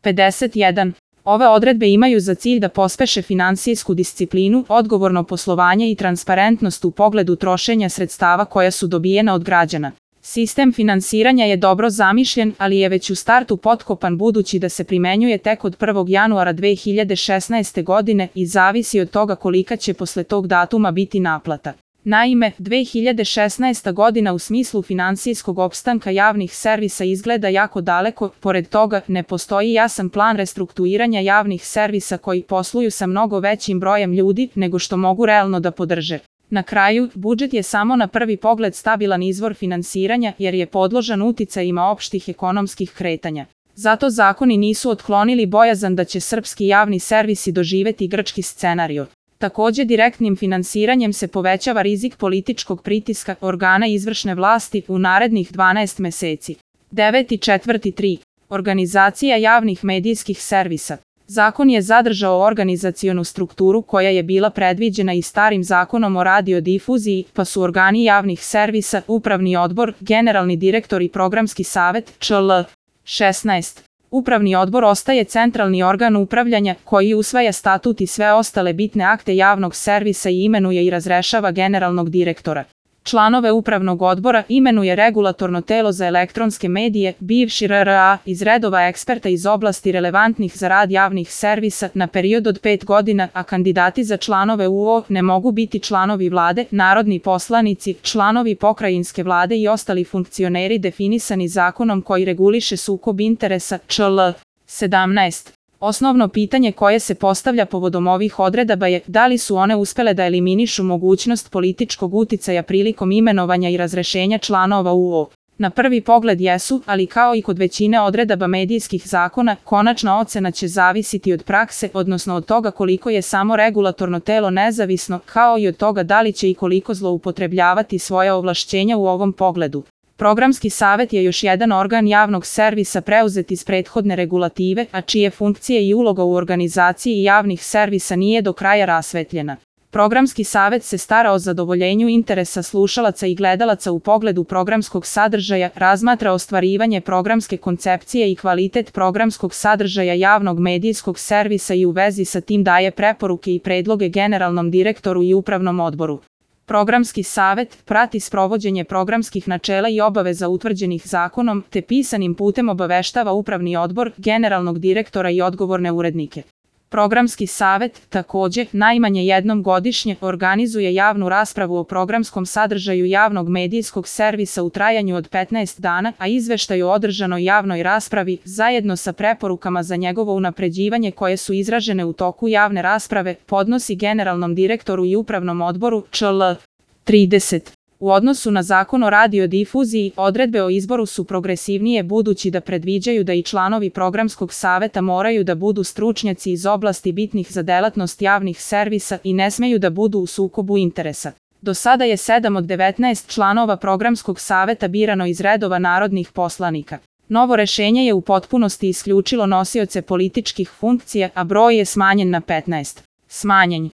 51. Ove odredbe imaju za cilj da pospeše finansijsku disciplinu, odgovorno poslovanje i transparentnost u pogledu trošenja sredstava koja su dobijena od građana. Sistem finansiranja je dobro zamišljen, ali je već u startu potkopan budući da se primenjuje tek od 1. januara 2016. godine i zavisi od toga kolika će posle tog datuma biti naplata. Naime, 2016. godina u smislu finansijskog opstanka javnih servisa izgleda jako daleko, pored toga ne postoji jasan plan restrukturiranja javnih servisa koji posluju sa mnogo većim brojem ljudi nego što mogu realno da podrže. Na kraju, budžet je samo na prvi pogled stabilan izvor finansiranja jer je podložan uticajima opštih ekonomskih kretanja. Zato zakoni nisu otklonili bojazan da će srpski javni servisi doživeti grčki scenario. Takođe, direktnim finansiranjem se povećava rizik političkog pritiska organa izvršne vlasti u narednih 12 meseci. 9.4.3. Organizacija javnih medijskih servisa. Zakon je zadržao organizacionu strukturu koja je bila predviđena i starim zakonom o radiodifuziji, pa su organi javnih servisa, upravni odbor, generalni direktor i programski savet, čl. 16. Upravni odbor ostaje centralni organ upravljanja koji usvaja statut i sve ostale bitne akte javnog servisa i imenuje i razrešava generalnog direktora. Članove upravnog odbora imenuje regulatorno telo za elektronske medije, bivši RRA, iz redova eksperta iz oblasti relevantnih za rad javnih servisa na period od 5 godina, a kandidati za članove UO ne mogu biti članovi vlade, narodni poslanici, članovi pokrajinske vlade i ostali funkcioneri definisani zakonom koji reguliše sukob interesa, čl. 17. Osnovno pitanje koje se postavlja povodom ovih odredaba je da li su one uspele da eliminišu mogućnost političkog uticaja prilikom imenovanja i razrešenja članova UO. Na prvi pogled jesu, ali kao i kod većine odredaba medijskih zakona, konačna ocena će zavisiti od prakse, odnosno od toga koliko je samo regulatorno telo nezavisno, kao i od toga da li će i koliko zloupotrebljavati svoja ovlašćenja u ovom pogledu. Programski savet je još jedan organ javnog servisa preuzet iz prethodne regulative, a čije funkcije i uloga u organizaciji javnih servisa nije do kraja rasvetljena. Programski savet se stara o zadovoljenju interesa slušalaca i gledalaca u pogledu programskog sadržaja, razmatra ostvarivanje programske koncepcije i kvalitet programskog sadržaja javnog medijskog servisa i u vezi sa tim daje preporuke i predloge generalnom direktoru i upravnom odboru. Programski savet prati sprovođenje programskih načela i obaveza utvrđenih zakonom, te pisanim putem obaveštava upravni odbor, generalnog direktora i odgovorne urednike. Programski savet, takođe, najmanje jednom godišnje organizuje javnu raspravu o programskom sadržaju javnog medijskog servisa u trajanju od 15 dana, a izveštaj o održanoj javnoj raspravi, zajedno sa preporukama za njegovo unapređivanje koje su izražene u toku javne rasprave, podnosi generalnom direktoru i upravnom odboru, čl. 30. U odnosu na zakon o radiodifuziji, odredbe o izboru su progresivnije budući da predviđaju da i članovi programskog saveta moraju da budu stručnjaci iz oblasti bitnih za delatnost javnih servisa i ne smeju da budu u sukobu interesa. Do sada je 7 od 19 članova programskog saveta birano iz redova narodnih poslanika. Novo rešenje je u potpunosti isključilo nosioce političkih funkcija, a broj je smanjen na 15. Smanjen